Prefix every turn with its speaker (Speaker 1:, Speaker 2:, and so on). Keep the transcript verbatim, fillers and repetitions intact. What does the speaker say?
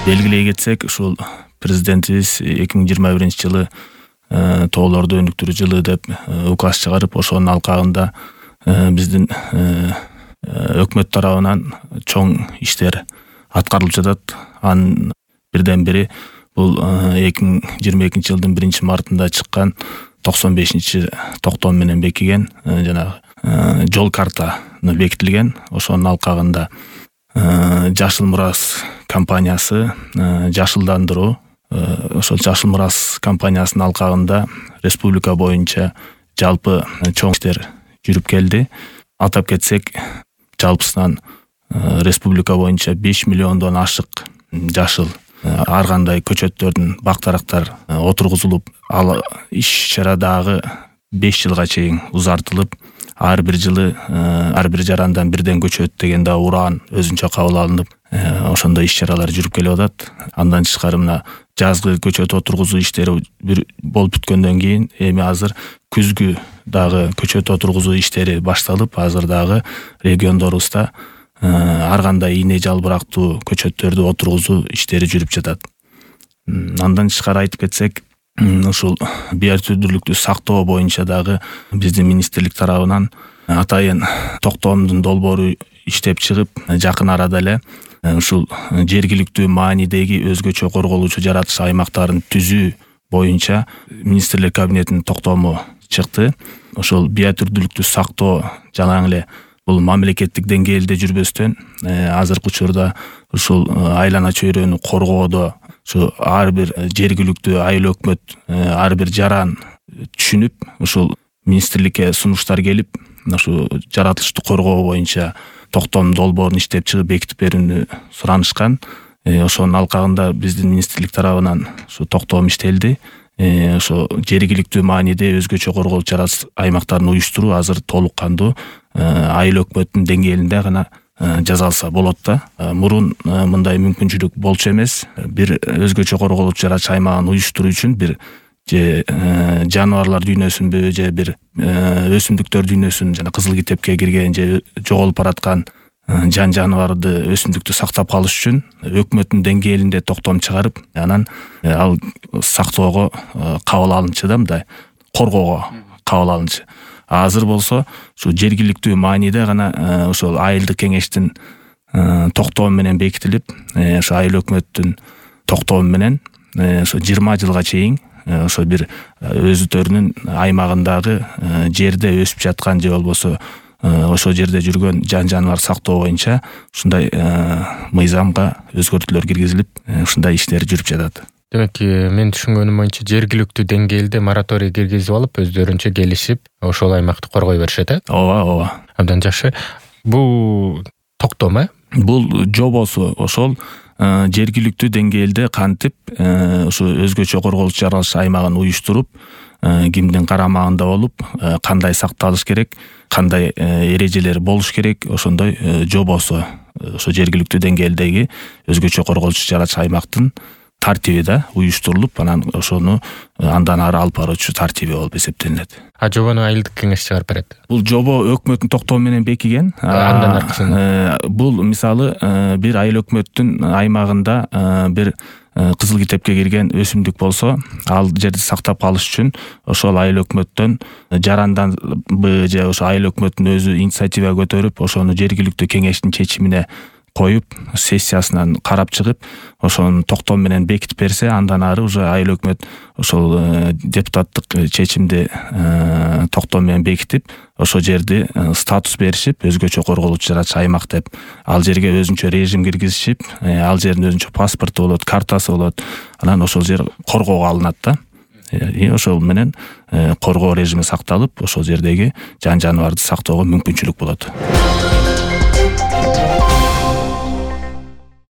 Speaker 1: Белгилей кетсек, ушул президентибиз эки миң жыйырма биринчи жылы тоолорду өнүктүрүү жылы деп указ чыгарып, ошонун алкагында биздин өкмөт тарабынан чоң иштер аткарылып жатат. Анын бирден бири бул эки миң жыйырма экинчи жылдын биринчи мартында чыккан токсон бешинчи токтом менен бекиген жанагы жол картаны бекитилген. Ошонун алкагында Жашыл Мурас компаниясы жашылдандыруу, ошол Жашыл Мурас компаниясынын алкагында республика боюнча жалпы чоң иштер жүрүп келди. Атап кетсек, жалпысынан республика боюнча беш миллиондон ашык жашыл ар кандай көчөттөрдүн бактарактар отургузулуп, ал иш-чарадагы беш жылга чейин узартылып, ар бир жылы ар бир жарандан бирден көчөт деген да уран өзүнчө кабыл алынып, ошондой иш-чаралар жүрүп келип атат. Андан тышкары мына жазгы көчөт отургузуу иштери болуп бүткөндөн кийин эми азыр күзгү дагы көчөт отургузуу иштери башталып, азыр дагы региондорубузда ар кандай ийне жалбырактуу көчөттөрдү отургузуу иштери жүрүп жатат. Андан тышкары айтып кетсек, ушул биотүрдүүлүктү сактоо боюнча дагы биздин министрлик тарабынан атайын токтомдун долбоору иштеп чыгып, жакын арада эле ушул жергиликтүү маанидеги өзгөчө корголуучу жаратылыш аймактарын түзүү боюнча министрлер кабинетинин токтому чыкты. Ошол биотүрдүүлүктү сактоо жалаң эле бул мамлекеттик деңгээлде жүрбөстөн, азыркы учурда ушул айлана чөйрөнү коргоодо ушу ар бир жергиликтүү айыл өкмөт, ар бир жаран түшүнүп, ушул министрликке сунуштар келип, ушу жаратылышты коргоо боюнча токтом долбоорун иштеп чыгып бекитип берүүнү суранышкан. Ошонун алкагында биздин министрлик тарабынан ушу токтом иштелди. Ошо жергиликтүү мааниде өзгөчө корголуучу жаратылыш аймактарын уюштуруу азыр толук кандуу айыл өкмөттүн деңгээлинде гана жасалса болот да. Мурун мындай мүмкүнчүлүк болчу эмес. Бир өзгөчө корголуучу жаратылыш аймагын уюштуруу үчүн бир же жаныбарлар дүйнөсүнбү, же бир өсүмдүктөр дүйнөсүн, жана кызыл китепке кирген же жоголуп бараткан жан жаныбарды, өсүмдүктү сактап калыш үчүн өкмөттүн деңгээлинде токтом чыгарып, анан ал сактоого кабыл алынчу да, мындай коргоого кабыл алынчу. Азыр болсо ушу жергиликтүү мааниде гана ошол айылдык кеңештин токтому менен бекитилип, ошо айыл өкмөттүн токтому менен ошо жыйырма жылга чейин ошо бир өзүлөрүнүн аймагындагы жерде өсүп жаткан же болбосо ошол жерде жүргөн жан жаныбар сактоо боюнча ушундай мыйзамга өзгөртүүлөр киргизилип, ушундай иштер жүрүп жатат.
Speaker 2: Демек, мен түшүнгөнүм боюнча жергиликтүү деңгээлде мораторий киргизип алып, өздөрүнчө келишип, ошол аймакты коргой беришет, э?
Speaker 1: Ооба, ооба.
Speaker 2: Абдан жакшы. Бул токтом, э?
Speaker 1: Бул жобосу ошол жергиликтүү деңгээлде кантип ушу өзгөчө корголуучу жаратылыш аймагын уюштуруп, кимдин карамагында болуп, кандай сакталыш керек, кандай эрежелер болуш керек, ошондой жобосу ошо жергиликтүү деңгээлдеги өзгөчө корголуучу жаратылыш аймактын тартиби да уюштурулуп, анан ошону андан ары алып баруучу тартиби болуп эсептелинет.
Speaker 2: А жобону айылдык кеңеш чыгарып берет.
Speaker 1: Бул жобо өкмөттүн токтому менен бекиген.
Speaker 2: Андан аркысында
Speaker 1: бул мисалы бир айыл өкмөттүн аймагында бир кызыл китепке кирген өсүмдүк болсо, ал жерди сактап калыш үчүн ошол айыл өкмөттөн жаранданбы же ошо айыл өкмөттүн өзү инициатива көтөрүп, ошону жергиликтүү кеңештин чечимине коюп, сессиясынан карап чыгып, ошону токтом менен бекитип берсе, андан ары уже айыл өкмөт ошол депутаттык чечимди токтом менен бекитип, ошол жерди статус беришип, өзгөчө корголуучу жаратылыш аймак деп, ал жерге өзүнчө режим киргизишип, ал жердин өзүнчө паспорту болот, картасы болот, анан ошол жер коргоого алынат да. Ошол менен коргоо режими сакталып, ошол жердеги жан жаныбарды сактоого мүмкүнчүлүк болот.